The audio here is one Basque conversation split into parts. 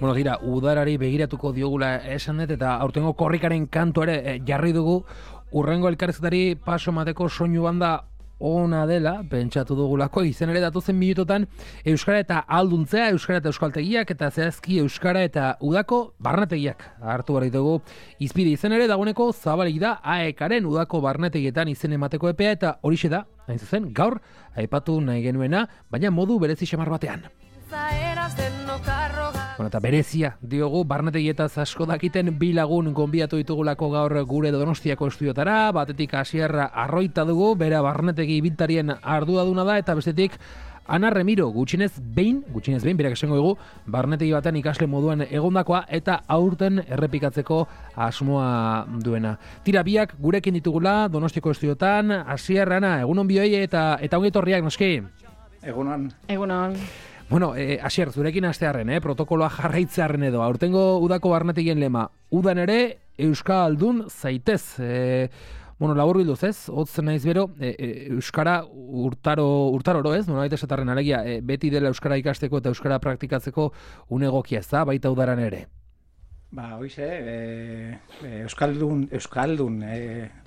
Bueno, gira, udarari begiratuko diogula esan dut, eta aurtengo korrikaren kantu ere jarri dugu, urrengo elkarrizketari paso mateko soinu banda ona dela, pentsatu dugulako, izen ere datozen minutotan euskara eta alduntzea, euskara eta euskaltegiak, eta zehazki euskara eta udako barnetegiak hartu behar ditugu izpide. Izen ere dagoeneko zabalik da AEK-aren udako barnetegietan izen emateko epea, eta horixe da, hain zuzen, gaur aipatu nahi genuena, baina modu berezi xamar batean. Bueno, eta berezia diogu, barnetegietaz asko dakiten bi lagun gonbidatu ditugulako gaur gure Donostiako estudiotara, batetik Asier Arroita dugu, bera barnetegi ibiltarien arduraduna da, eta bestetik Ana Remiro, gutxienez behin, berak esango dugu, barnetegi batean ikasle moduan egondakoa eta aurten errepikatzeko asmoa duena. Tira, biak gurekin ditugula Donostiako estudiotan, Asier, Ana, egunon bioi eta ongi etorriak, noski? Egunon. Bueno, Asier, zurekin hastearren, protokoloa jarraitzearren edo, aurtengo udako barnetegien lema, udan ere euskaldun zaitez. Bueno, labur bilduz ez, hotzen naiz bero, euskara urtaroro ez, nolabait esatarren alegia, beti dela euskara ikasteko eta euskara praktikatzeko unegokia ez da, baita udaran ere. Hoize, euskaldun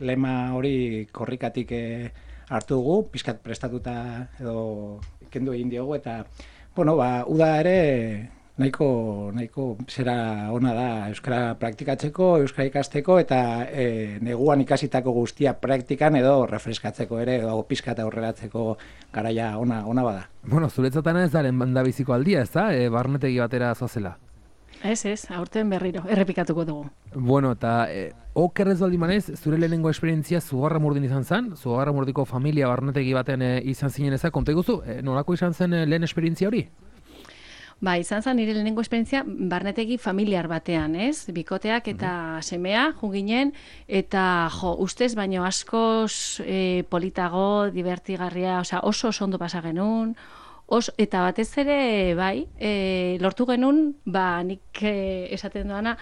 lema hori korrikatik hartu dugu, pizkat prestatuta edo kendu egin diogu, eta uda ere nahiko zera ona da euskara praktikatzeko, euskara ikasteko, eta neguan ikasitako guztia praktikan edo refreskatzeko ere, edo pizkat aurreratzeko garaia ona bada. Bueno, zuretzatana ez daren bandabiziko aldia, ez da? Barnetegi batera zoazela. Ez, aurten berriro, errepikatuko dugu. Bueno, eta okerrez baldin manez, zure lehenengo esperientzia Zugarramurdin izan zen, Zugarramurdiko familia barnetegi baten izan zinen ezak, konta iguzu, nolako izan zen lehen esperientzia hori? Izan zen nire lehenengo esperientzia barnetegi familiar batean, ez? Bikoteak eta semea juginen, eta ustez baino askoz politago, divertigarria, oso ondo pasa genuen, eta batez ere, lortu genuen, nik esaten doana,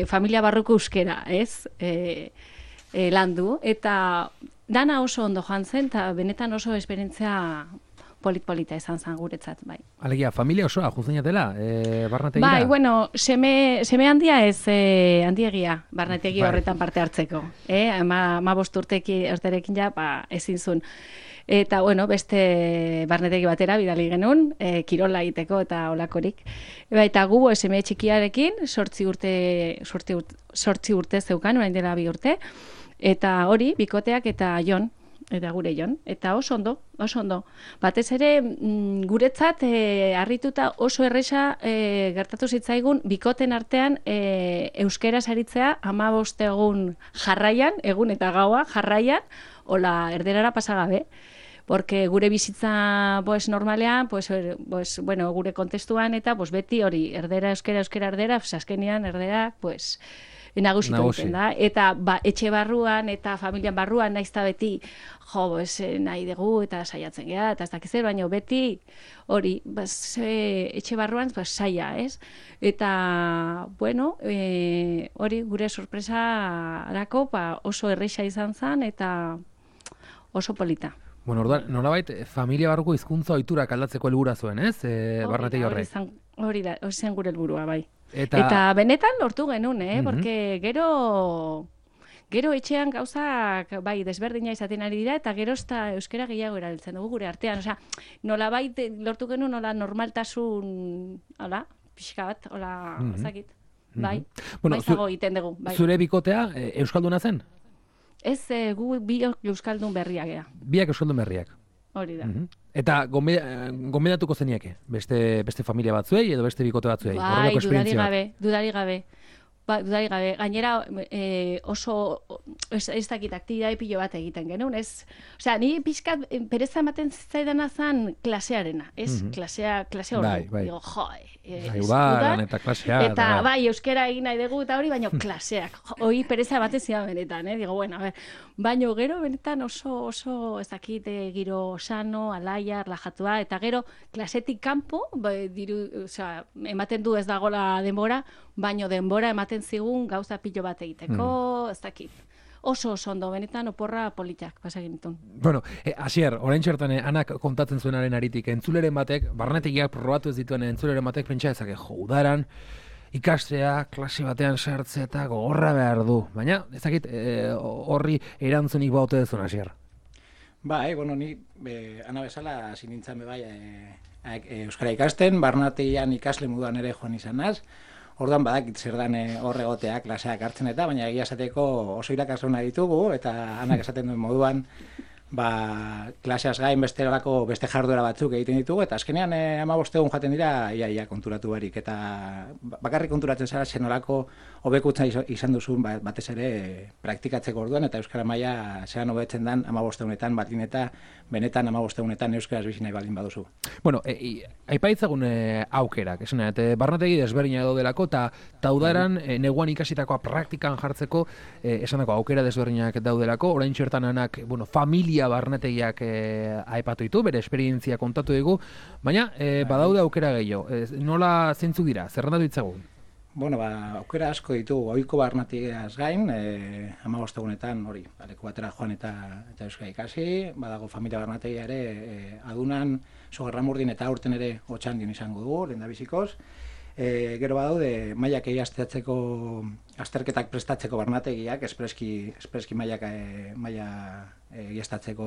familia barruko euskera, ez? Landu, eta dana oso ondo joan zen, eta benetan oso esperientzia polita izan zen guretzat, bai. Alegia, familia osoa, juzenatela, barnetegira? Seme handia ez handiegia, barnetegi horretan parte hartzeko. Ma urterekin ja, ezin zuen. Eta, beste barnetegi batera bidali genuen, kirola egiteko eta olakorik. Eta gu, seme txikiarekin, 8 urte zeukan, orain dela 2 urte, eta hori, bikoteak eta Jon, eta gure Jon, eta oso ondo. Batez ere, guretzat, harrituta oso erresa gertatu zitzaigun, bikoten artean euskera saritzea 15 egun jarraian, egun eta gaua jarraian, hola erderara pasagabe. Porque gure bizitza normalean, gure kontestuan eta beti hori, erdera, euskera, erdera, azkenean erdera, nagusitu egiten da. Eta etxe barruan eta familian barruan naizta beti, nahi dugu eta saiatzen geha, eta ez dakizer, baina beti hori, etxe barruan saia, ez? Eta, hori gure sorpresarako oso erresa izan zen eta oso polita. Bueno, orduan, nolabait, familia barruko hizkuntza ohiturak aldatzeko helburua zuen, ez? Barnetegi horrek. Hori zen gure helburua, bai. Eta benetan lortu genuen, porque gero etxean gauzak desberdina izaten ari dira, eta gero euskera gehiago erabiltzen dugu gure artean. Osea, nolabait lortu genuen, normaltasun, pixka bat, ezakit. Bai, baizago egiten dugu. Zure bikotea euskalduna zen? Ez, gu bi euskaldun berriak ega. Biak euskaldun berriak. Hori da. Eta gonbidatuko zeniake? Beste familia batzuei edo beste bikote batzuei? Bai, dudari gabe. Gainera oso ez dakit aktibitate pilo bat egiten genuen, ez? Osea, ni pixkat pereza ematen zitzaidana zen klasearena, ez? Klasea hori. Digo, udan eta klasea. Eta euskera egin nahi dugu eta hori, baina klaseak. Hoi pereza ematen zidan benetan, Digo, baina gero benetan oso ez dakit giro sano, alaia, relajatua, eta gero klasetik kanpo, ematen du ez dagoela denbora, baino denbora ematen zigun gauza pilo bat egiteko, ez dakit. oso ondo, benetan oporra politak pasagin ditun. Bueno, Asier, orain txertan anak kontatzen zuenaren aritik, entzuleren batek, barnetegiak probatu ez dituen entzuleren batek pentsa ezake, udaran, ikastea, klase batean sartzea eta gogorra behar du. Baina, ezakit, horri erantzunik baute dezun, Asier. Bai, bueno, ni ana bezala hasi nintzen bai euskara ikasten, barnategian ikasle moduan ere joan izanaz. Orduan badakit zer dan hor egotea klaseak hartzen eta, baina egia esateko oso irakasleuna ditugu eta anak esaten duen moduan klaseaz gain beste jarduera batzuk egiten ditugu eta azkenean 15 egun jaten dira ia konturatu barik eta bakarrik konturatzen zara zenolako hobekuntza izan duzun batez ere praktikatzeko orduan eta euskara maila zean hobetzen dan 15 egunetan batin eta benetan 15 egunetan euskaraz bizi nahi baldin baduzu. Bueno, aipaitzagun aukerak, esan barnetegi desberdina daudelako eta udaran neguan ikasitakoa praktikan jartzeko esanako aukera desberdinak daudelako, orain txertan anak, bueno, familia barnetegiak aipatu ditu, bere esperientzia kontatu dugu, baina badaude aukera gehiago. Nola zeintzuk dira? Zerrendatu ditzagun? Bueno, aukera asko ditugu, ohiko barnetegiaz gain, 15 egunetan hori, leku batera joan eta euskara ikasi, badago familia barnetegia ere adunan, Sogarramurdin eta aurten ere Otxandin izango dugu, lehendabizikoz. Gero badaude mailak egiaztatzeko, azterketak prestatzeko barnategiak, espreski maila egiaztatzeko,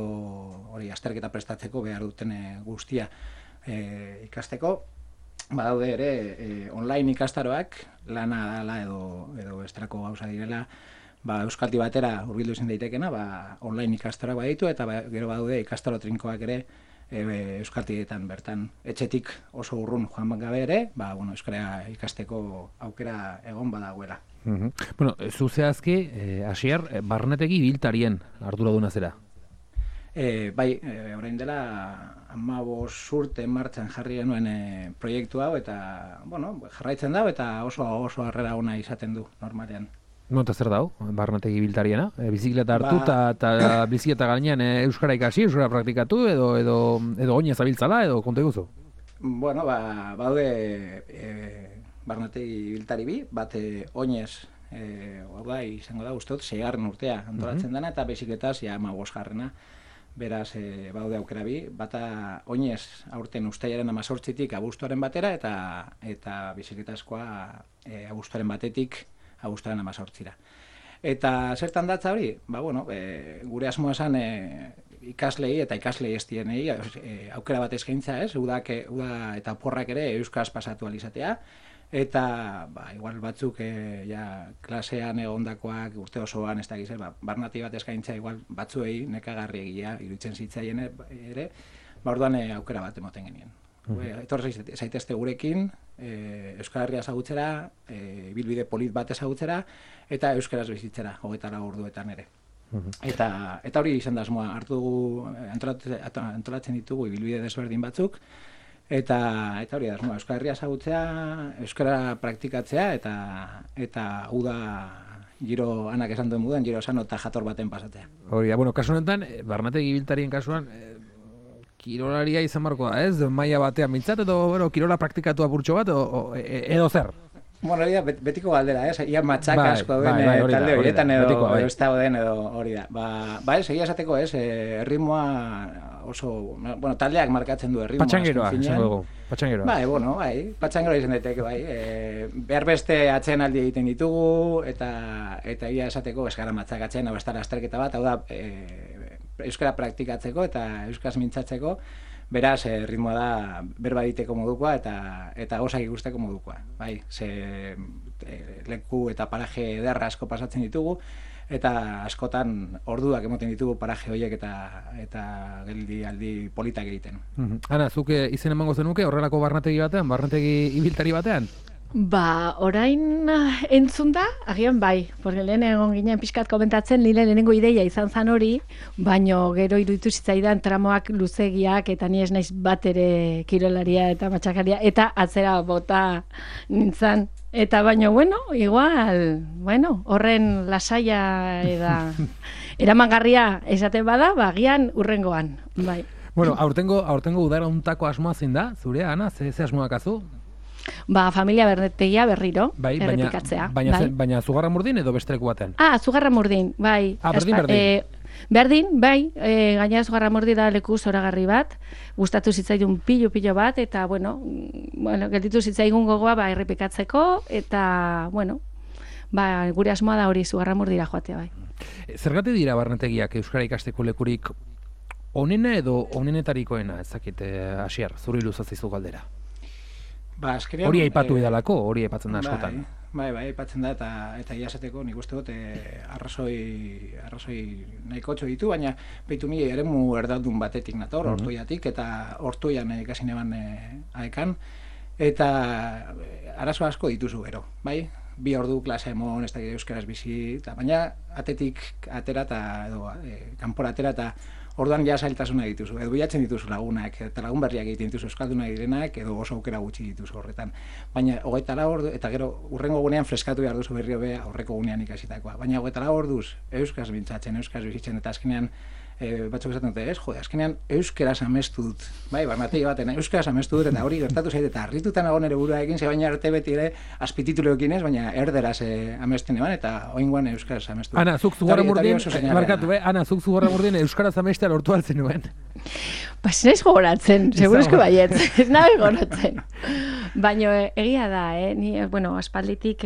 hori azterketa prestatzeko behar duten guztia ikasteko. Badaude ere online ikastaroak, lana dala edo estrako gauza direla, euskalti batera hurbildu ezin daitekena, online ikastaroak baditu eta gero badaude ikastaro trinkoak ere euskaltietan bertan etxetik oso urrun joan gabe ere, euskara ikasteko aukera egon badagoela. Bueno, zu zehazki, Asier, barnetegi ibiltarien arduraduna zera? Bai, orain dela 15 urte martxan jarri genuen proiektu hau eta, jarraitzen dago eta oso harrera ona izaten du normalean. Eta zer dau, barnetegi ibiltariena? Bizikleta hartu eta bizikleta gainean euskara ikasi, euskara praktikatu edo oinez abiltzala edo konta iguzu? Bueno, baude barnetegi ibiltari bi, bat oinez izango da, uste dut, 6. urtea antolatzen dena eta bizikletaz 15. Beraz, baude aukera bi, bata oinez aurten uztailaren 18-tik abuztuaren batera eta bizikletazkoa abuztuaren batetik abuztuaren 18-ra. Eta zertan datza hori? Gure asmoa esan ikaslei eta ikaslei estienei aukera bat eskaintza, ez? Uda eta oporrak ere euskaraz pasatu alizatea. Eta, igual batzuk klasean egondakoak urte osoan ez da gizera, barnati bat eskaintza igual batzuei nekagarri egia iruditzen zitzaien ere, orduan aukera bat emoten genien. Etorri zaitezte gurekin, Euskal Herria ezagutzera, bilbide polit bat ezagutzera, eta euskaraz bizitzera, 24 orduetan ere. Eta hori izan da asmoa, hartu dugu, antolatzen ditugu bilbide desberdin batzuk, eta hori da, Euskal Herria ezagutzea, euskara praktikatzea, eta uda giro anak esan duen moduan, giro sano eta jator baten pasatzea. Hori da, kasu honetan, barnetegi ibiltarien kasuan, kirolaria izan barko da, ez? Maila batean mintzat, edo kirola praktikatu apurtxo bat, edo zer? Hori da, betiko galdera, ez? Ia matxak asko den talde horietan edo ez dago den edo hori da. Ez, egia esateko ez, erritmoa oso, taldeak markatzen du erritmoa. Patxangeroa, izango dugu, patxangeroa. Patxangeroa izan daiteke, behar beste atxeen aldi egiten ditugu, eta egia esateko ez gara matxak atxeen, hau ez da lasterketa bat, hau da, euskara praktikatzeko eta euskaraz mintzatzeko, beraz, ritmoa da berba egiteko modukoa eta gozak ikusteko modukoa. Leku eta paraje ederra asko pasatzen ditugu, eta askotan orduak emoten ditugu paraje horiek eta geldi aldi politak egiten. Ana, zuk izen emango zenuke horrelako barnetegi batean, barnetegi ibiltari batean? Orain entzun da, agian bai, porque lehen egon ginen pixkat komentatzen, nire lehenengo ideia izan zan hori, baino gero iruditu zitzaidan tramoak luzegiak, eta ni ez naiz bat ere kirolaria eta matxakaria, eta atzera bota nintzen. Eta baino, igual, horren lasaia eta eramangarria esaten bada, agian urrengoan, bai. Aurtengo udara untako asmoa zein da, zurea, Ana, ze asmoak azu? Familia bernetegia berriro, Bai, errepikatzea. Baina Zugarramurdin edo beste leku baten? Zugarramurdin, bai. Berdin. Berdin, bai, gainera Zugarramurdi da leku zoragarri bat, gustatu zitzaidun pilo bat, eta, gelditu zitzaigun gogoa, errepikatzeko, eta, gure asmoa da hori Zugarramurdira joatea, bai. Zergatik dira barnetegiak euskara ikasteko lekurik onena edo onenetarikoena, ezakit, Asier, zuri luzatzizu galdera? Hori aipatu edalako, hori aipatzen da askotan. Bai, aipatzen da, eta iazateko nik uste dut arrazoi nahikotxo ditu, baina behitu ni eremu erdaldun batetik nator, Ortuiatik, eta Ortuian ikasi neban aekan, eta arazo asko dituzu gero, bai? 2 ordu klase emon, ez da euskaraz bizi, baina atetik atera edo kanpora atera eta orduan ja zailtasuna dituzu, edo bilatzen dituzu lagunak, eta lagun berriak egiten dituzu euskalduna direnak, edo oso aukera gutxi dituzu horretan. Baina 24 ordu, eta gero urrengo gunean freskatu behar duzu berri hobe aurreko gunean ikasitakoa. Baina 24 orduz euskaz mintzatzen, euskaz bizitzen, eta azkenean batzuk esaten dute, azkenean euskaraz amestu dut, bai, barnategi baten, euskaraz amestu dut, eta hori gertatu zait, eta harritutan nago nere burua egin, ze baina arte beti ere azpitituloekin ez, baina erderaz amesten eban, eta oingoan euskaraz amestu dut. Ana, zuk Zugarramurdin euskaraz amestea lortu altzen nuen. Ez naiz gogoratzen, seguruzko baiet, ez nahi gogoratzen. Baina egia da, ni, aspalditik,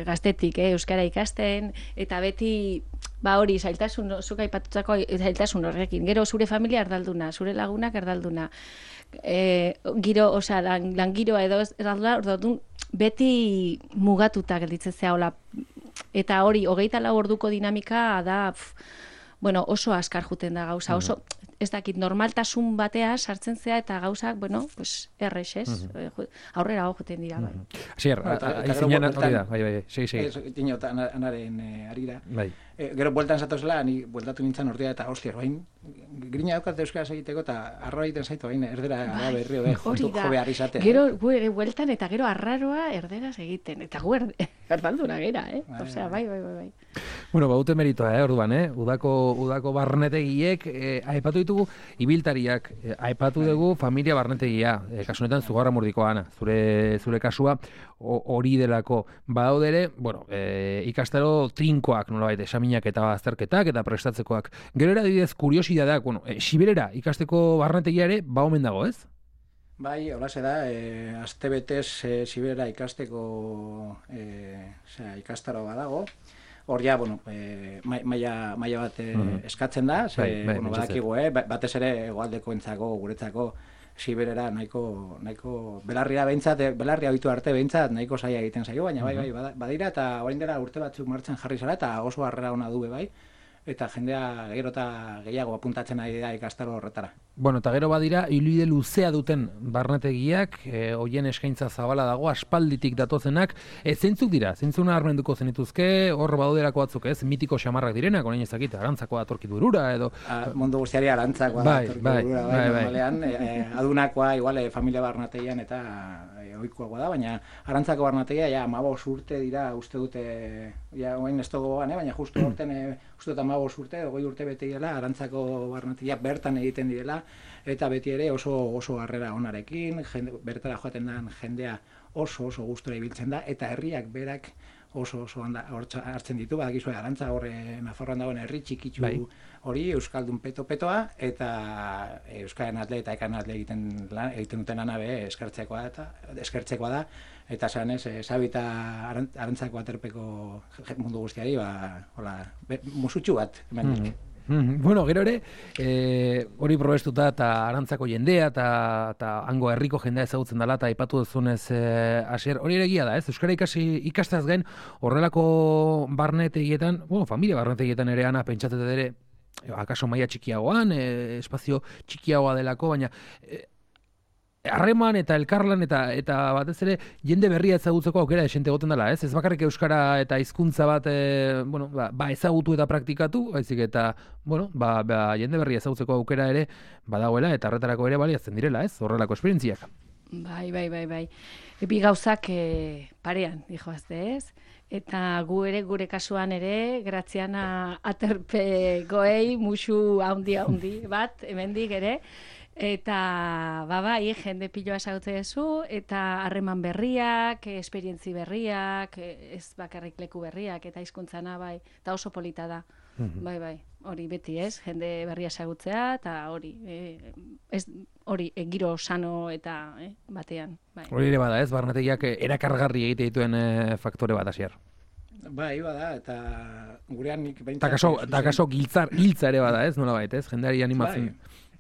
gaztetik, euskara ikasten, eta beti, hori, zailtasun, zuk aipatutako zailtasun horrekin. Gero zure familia erdalduna, zure lagunak erdalduna. Langiroa edo erdalduna, beti mugatuta gelditzen zea hola. Eta hori, 24 orduko dinamika da, oso askar juten da gauza, oso, ez dakit, normaltasun batea sartzen zea eta gauzak, errex, ez? Aurrera juten dira, bai. Asier, aizinean hori da, bai, segi. Dinot, anaren arira. Bai. Gero bueltan zatozela, ni bueltatu nintzen ordia eta hostiar, bain, grina daukat euskaraz egiteko eta arroa egiten zaitu, bain, erdera berri jo behar izatea. Gero, bueltan eta gero arraroa erderaz egiten, eta gu erdalduna gera, Osea, bai. Baute meritoa, orduan, udako barnetegiek, aipatu ditugu ibiltariak, aipatu dugu familia barnetegia, kasunetan Zugarramurdikoa, Ana, zure kasua hori delako. Badaudere, ikastaro trinkoak, nolabait, esaminak eta azterketak eta prestatzekoak. Gero adibidez kuriosidadeak, Siberera ikasteko barnetegia ere, omen dago, ez? Bai, holaxe da, astebetez Siberera ikasteko ikastaro badago. Hor ja, maila bat eskatzen da, badakigu, batez ere hegoaldeko entzako, guretzako, Siberera nahiko belarria behintzat, belarria ohitu arte behintzat nahiko zaila egiten zaio, baina bai, badira eta orain dela urte batzuk martxan jarri zara eta oso harrera ona du bai, eta jendea gero eta gehiago apuntatzen ari da ikastaro horretara. Eta gero badira, ibilbide luzea duten barnetegiak, hoien eskaintza zabala dago, aspalditik datozenak, zeintzuk dira, zeintzuna armenduko zenituzke, hor badauderako batzuk, mitiko xamarrak direnak, orain ezakit, Arantzakoa datorkitu burura, edo... Mundu guztiari Arantzakoa datorkitu burura, normalean, adunakoa, igual, familia barnetegian eta ohikoagoa da, baina Arantzako barnetegia, 15 urte dira, uste dute, oain ez togoan, baina justu horten, uste dut 15 urte, 20 urte bete direla, Arantzako barnetegia bertan egiten direla, eta beti ere oso harrera onarekin, bertara joaten den jendea oso gustura ibiltzen da, eta herriak berak oso hartzen ditu, badakizue Arantza horre Nafarroan dagoen herri txikitsu hori, euskaldun petoa, eta euskaren atle eta ekan atle egiten duten lana eskertzekoa da, eta zanez, Sabita Arantzako aterpeko mundu guztiari, musutxu bat, hemen. Gero ere, hori probestuta eta Arantzako jendea eta hango herriko jendea ezagutzen dela eta aipatu duzunez, Asier, hori ere egia da, ez? Euskara ikasteaz gain horrelako barnetegietan, familia barnetegietan ere Ana pentsatzen ere, akaso maila txikiagoan, espazio txikiagoa delako, baina harreman eta elkarlan eta batez ere jende berria ezagutzeko aukera esente egoten dela, ez? Ez bakarrik euskara eta hizkuntza bat ezagutu eta praktikatu, baizik eta jende berria ezagutzeko aukera ere badagoela eta horretarako ere baliatzen direla, ez? Horrelako esperientziak. Bai. Bi gauzak parean, dijoazte, ez? Eta gure kasuan ere, Graziana aterpe goei, musu handi bat, hemendik ere, Eta, bai, jende piloa esagutze duzu, eta harreman berriak, esperientzi berriak, ez bakarrik leku berriak, eta hizkuntzana, bai, eta oso polita da. Bai, hori beti ez, jende berria esagutzea, eta hori, giro sano eta batean. Bai. Hori ere bada ez, barnetegiak erakargarri egite dituen faktore bat hasier. Bai, bada, eta gurean nik behintzat... Ta kaso giltza ere bada ez, nola bait ez, jendeari animatzen...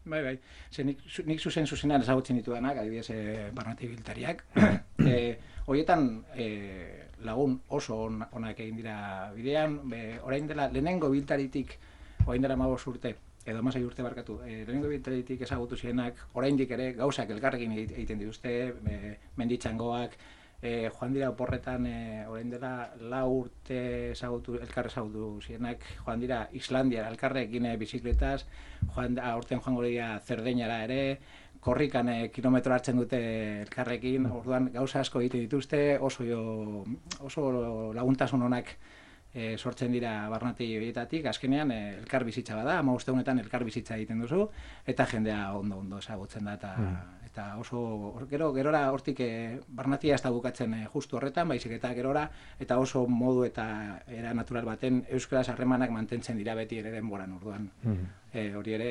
Bai. Ze nik zuzenean ezagutzen ditudanak, adibidez barnetegi biltariak. Horietan lagun oso onak egin dira bidean, orain dela lehenengo biltaritik, orain dela 15 urte, edo 16 urte barkatu, lehenengo biltaritik ezagutu zienak, oraindik ere gauzak elkarrekin egiten dituzte, menditxangoak, joan dira oporretan, orain dela 4 urte elkar ezagutu zienak, joan dira Islandia elkarrekin bizikletaz, aurten joango dira Zerdeñara ere, korrikan kilometro hartzen dute elkarrekin, orduan gauza asko egiten dituzte, oso laguntasun onak sortzen dira barnetegi horietatik, azkenean elkar bizitza bada, 15 egunetan elkar bizitza egiten duzu, eta jendea ondo ezagutzen da, eta oso, gerora hortik barnatia ez da bukatzen justu horretan, baizik eta gerora, eta oso modu eta era natural baten euskaraz harremanak mantentzen dira beti ere denboran, orduan. Hori ere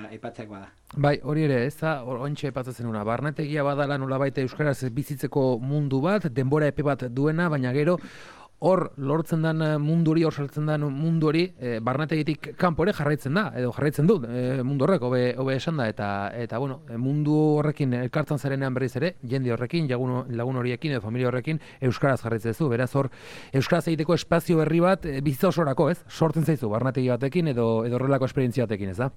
aipatzeak bada. Bai, hori ere, ez da, oraintxe aipatzen una. Barnetegia badala nolabait euskaraz bizitzeko mundu bat, denbora epe bat duena, baina gero hor lortzen den mundu hori, hor saltzen den mundu hori, barnetegitik kanpo ere jarraitzen da, edo jarraitzen du mundu horrek, hobe esan da, eta bueno, mundu horrekin elkartzen zarenean berriz ere, jende horrekin, lagun horiekin edo familia horrekin, euskaraz jarraitzen zu, beraz hor, euskaraz egiteko espazio berri bat, bizitza osorako, ez? Sortzen zaizu, barnetegi batekin edo horrelako esperientzia batekin, ez da?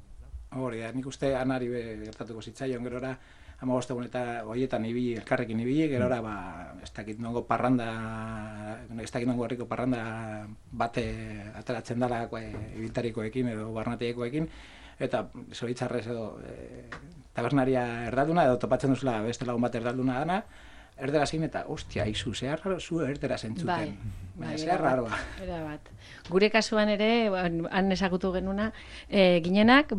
Hori da, nik uste anari gertatuko zitzaion gerora, 15 egun eta horietan elkarrekin ibili, gerora ez dakit nongo herriko parranda bate ateratzen dela ibiltarikoekin edo barnetegikoekin, eta zoritxarrez edo tabernaria erdalduna edo topatzen duzula beste lagun bat erdalduna dana, erdera zein eta, ostia, izu, zehar raro zu erdera zentzuten. Zehar raroa. Gure kasuan ere, han ezagutu genuna, ginenak,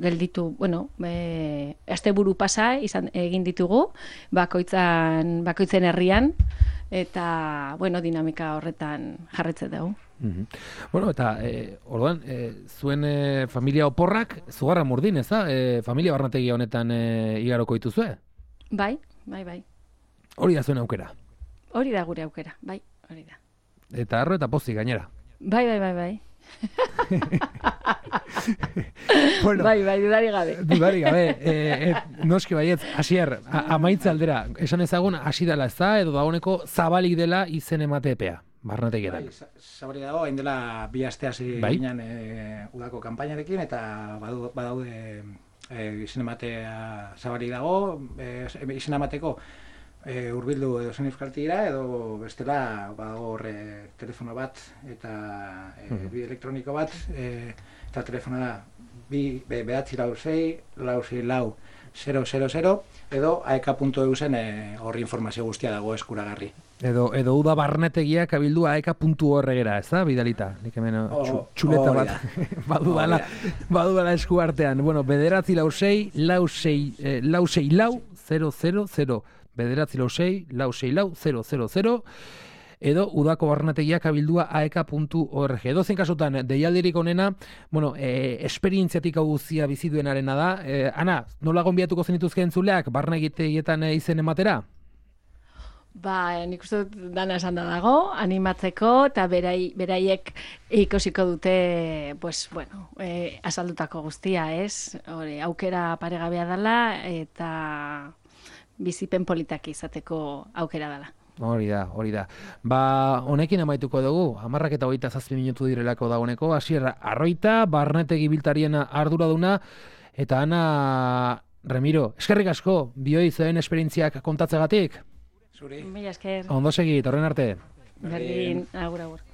gelditu, asteburu pasa egin ditugu, bakoitzen herrian, eta, dinamika horretan jarretzen dugu. Bueno, eta, orduan, zuen familia oporrak, zugarra murdin, ez da? Familia barnetegia honetan igaroko dituzue? Bai. Hori da zuen aukera? Hori da gure aukera, bai, hori da. Eta arro eta pozik gainera? Bai. Bueno, bai, dudari gabe. Noski baietz, Asier, amaitza aldera, esan ezagun hasi dela ez da, edo dagoeneko zabalik dela izen emate epea, barnetegietan. Zabalik dago, hain dela 2 aste hasi ginen udako kanpainarekin, eta badaude izen ematea zabalik dago, izen emateko hurbildu edo zen euskaltira, edo bestela badago horre telefono bat eta bi elektroniko bat, eta telefona da 946-464-000 edo aeka.eu zen horri informazio guztia dago eskuragarri. Edo uda barnetegiak abildu aeka.org-era, ez da, bidalita? Nik hemen txuleta bat badudala esku artean. Bueno, 946-464-000, 946-464-000, edo udako barnetegiak abildua aeka.org. Edozein kasutan, deialdirik onena, esperientziatik hau guztia biziduenarena da. Ana, nola gonbiatuko zenituzke entzuleak barnetegietan izen ematera? Nik uste dut dana esan da dago, animatzeko, eta beraiek ikusiko dute, azaldutako guztia, ez? Aukera paregabea dela, eta bizipen politak izateko aukera dela. Hori da. Honekin amaituko dugu, 11:27 minutu direlako dagoeneko, Asier Arroita, barnetegi biltarien arduraduna, eta Ana Remiro, eskerrik asko, bioi zeuen esperientziak kontatzegatik. Zuri. Mila esker. Ondo segi, torren arte. Berdin, agur.